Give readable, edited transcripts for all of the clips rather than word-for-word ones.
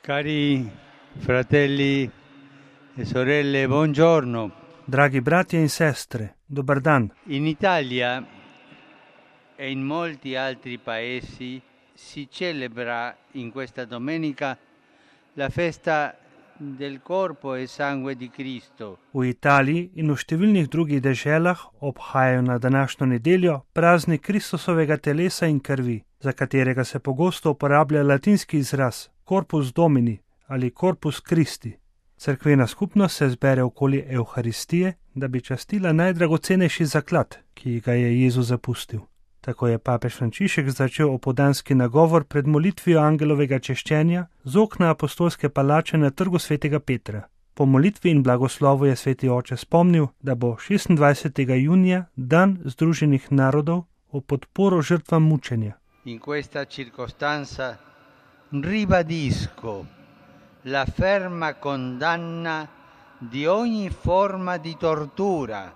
Cari fratelli e sorelle, buongiorno. Dragi bratje in sestre, dober dan. In Italia e in molti altri paesi si celebra in questa domenica la festa del corpo e sangue di Cristo. V Italiji in v številnih drugih deželah obhajajo na današnjo nedeljo praznik Kristusovega telesa in krvi, za katerega se pogosto uporablja latinski izraz Corpus Domini ali Corpus Christi. Cerkvena skupnost se zbere okoli Evharistije, da bi častila najdragocenejši zaklad, ki ga je Jezus zapustil. Tako je papež Frančišek začel opoldanski nagovor pred molitvijo angelovega češčenja z okna apostolske palače na trgu svetega Petra. Po molitvi in blagoslovu je sveti oče spomnil, da bo 26. junija dan Združenih narodov v podporo žrtvam mučenja. In questa circostanza ribadisco la ferma condanna di ogni forma di tortura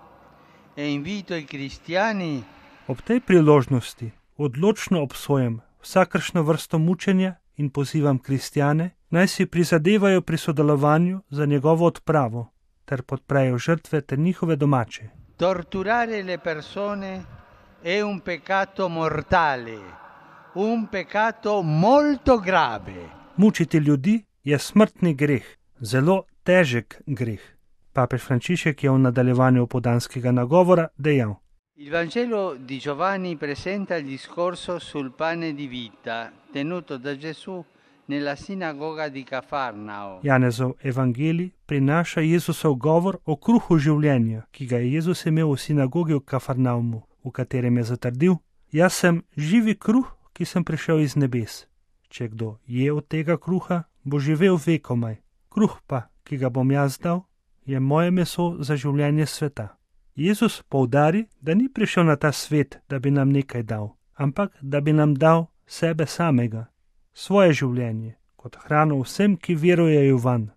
e invito i cristiani. Ob tej priložnosti odločno obsojam vsakršno vrsto mučenja in pozivam kristjane, naj si prizadevajo pri sodelovanju za njegovo odpravo ter podprejo žrtve ter njihove domače. Torturare le persone è un peccato mortale, un peccato molto grave. Mučiti ljudi je smrtni greh, zelo težek greh. Papež Frančišek je v nadaljevanju opoldanskega nagovora dejal: Il Vangelo di Giovanni presenta il discorso sul pane di vita tenuto da Gesù nella sinagoga di Cafarnao. Janezov evangelij prinaša Jezusov govor o kruhu življenja, ki ga je Jezus imel v sinagogi v Kafarnaumu, v katerem je zatrdil: Jaz sem živi kruh, ki sem prišel iz nebes. Če kdo je od tega kruha, bo živel vekomaj. Kruh pa, ki ga bom jaz dal, je moje meso za življenje sveta. Jezus poudari, da ni prišel na ta svet, da bi nam nekaj dal, ampak da bi nam dal sebe samega, svoje življenje, kot hrano vsem, ki verujejo vanj.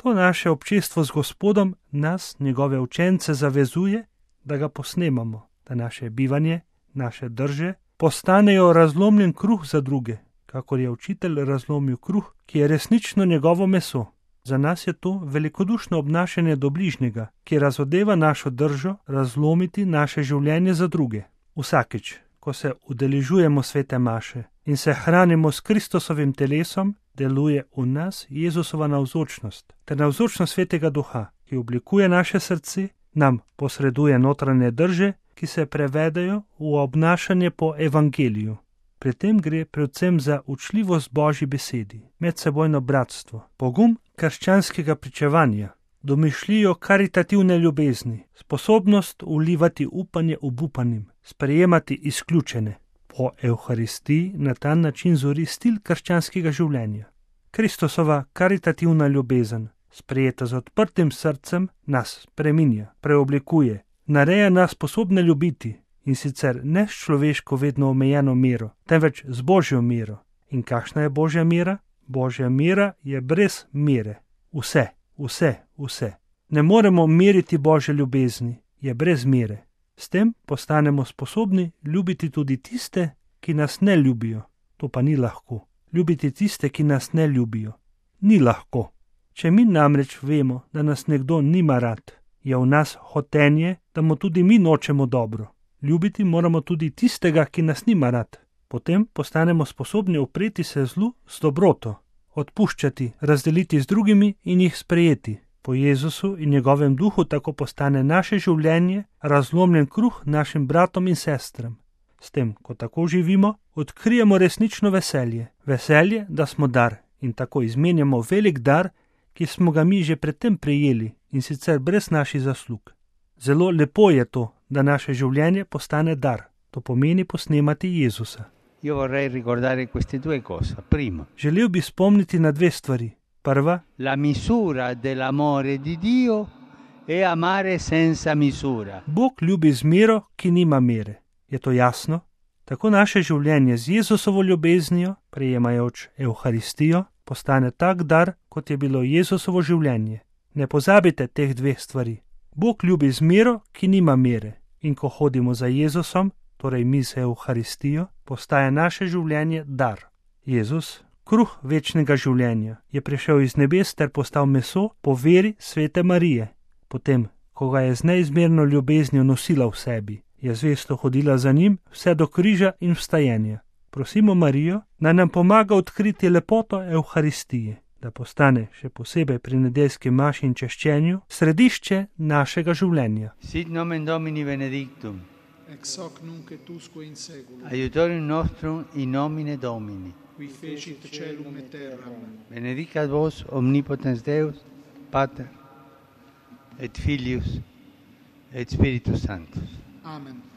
To naše občestvo z Gospodom nas, njegove učence, zavezuje, da ga posnemamo, da naše bivanje, naše drže postanejo razlomljen kruh za druge, kakor je učitelj razlomil kruh, ki je resnično njegovo meso. Za nas je to velikodušno obnašanje do bližnjega, ki razodeva našo držo razlomiti naše življenje za druge. Vsakič, ko se udeležujemo svete maše in se hranimo s Kristusovim telesom, deluje v nas Jezusova navzočnost ter navzočnost svetega duha, ki oblikuje naše srce, nam posreduje notranje drže, ki se prevedejo v obnašanje po evangeliju. Pri tem gre predvsem za učljivost Božji besedi, medsebojno bratstvo, pogum krščanskega pričevanja, domišljijo karitativne ljubezni, sposobnost vlivati upanje obupanim, sprejemati izključene. Po Evharistiji na ta način zori stil krščanskega življenja. Kristusova karitativna ljubezen, sprejeta z odprtim srcem, nas spreminja, preoblikuje, nareja nas sposobne ljubiti, in sicer ne s človeško vedno omejeno mero, temveč z Božjo mero. In kakšna je Božja mera? Božja mera je brez mere. Vse. Ne moremo meriti Božje ljubezni, je brez mere. S tem postanemo sposobni ljubiti tudi tiste, ki nas ne ljubijo. To pa ni lahko. Ljubiti tiste, ki nas ne ljubijo. Ni lahko. Če mi namreč vemo, da nas nekdo nima rad, je v nas hotenje, da mu tudi mi nočemo dobro. Ljubiti moramo tudi tistega, ki nas nima rad. Potem postanemo sposobni upreti se zlu z dobroto, odpuščati, razdeliti z drugimi in jih sprejeti. Po Jezusu in njegovem duhu tako postane naše življenje razlomljen kruh našim bratom in sestram. S tem, ko tako živimo, odkrijemo resnično veselje. Veselje, da smo dar in tako izmenjamo velik dar, ki smo ga mi že predtem prejeli in sicer brez naših zaslug. Zelo lepo je to, da naše življenje postane dar. To pomeni posnemati Jezusa. Io vorrei ricordare queste due cose. Primo, Želel bi spomniti na dve stvari. Prva, la misura dell'amore di Dio è amare senza misura. Bog ljubi z mero, ki nima mere. Je to jasno? Tako naše življenje z Jezusovo ljubeznijo, prejemajoč Evharistijo, postane tak dar, kot je bilo Jezusovo življenje. Ne pozabite teh dveh stvari. Bog ljubi z mero, ki nima mere. In ko hodimo za Jezusom, torej mi z Evharistijo, postaje naše življenje dar. Jezus, kruh večnega življenja, je prišel iz nebes ter postal meso po veri svete Marije. Potem, ko ga je z neizmerno ljubeznijo nosila v sebi, je zvesto hodila za njim vse do križa in vstajenja. Prosimo Marijo, da nam pomaga odkriti lepoto Evharistije, da postane še posebej pri nedeljski maši in češčenju središče našega življenja. Sit nomen Domini benedictum. Ex hoc nunc et usque in seculum. Aiutorium nostrum in nomine Domini. Qui fecit caelum et terram. Benedicat vos omnipotens Deus, Pater, et Filius, et Spiritus Sanctus. Amen.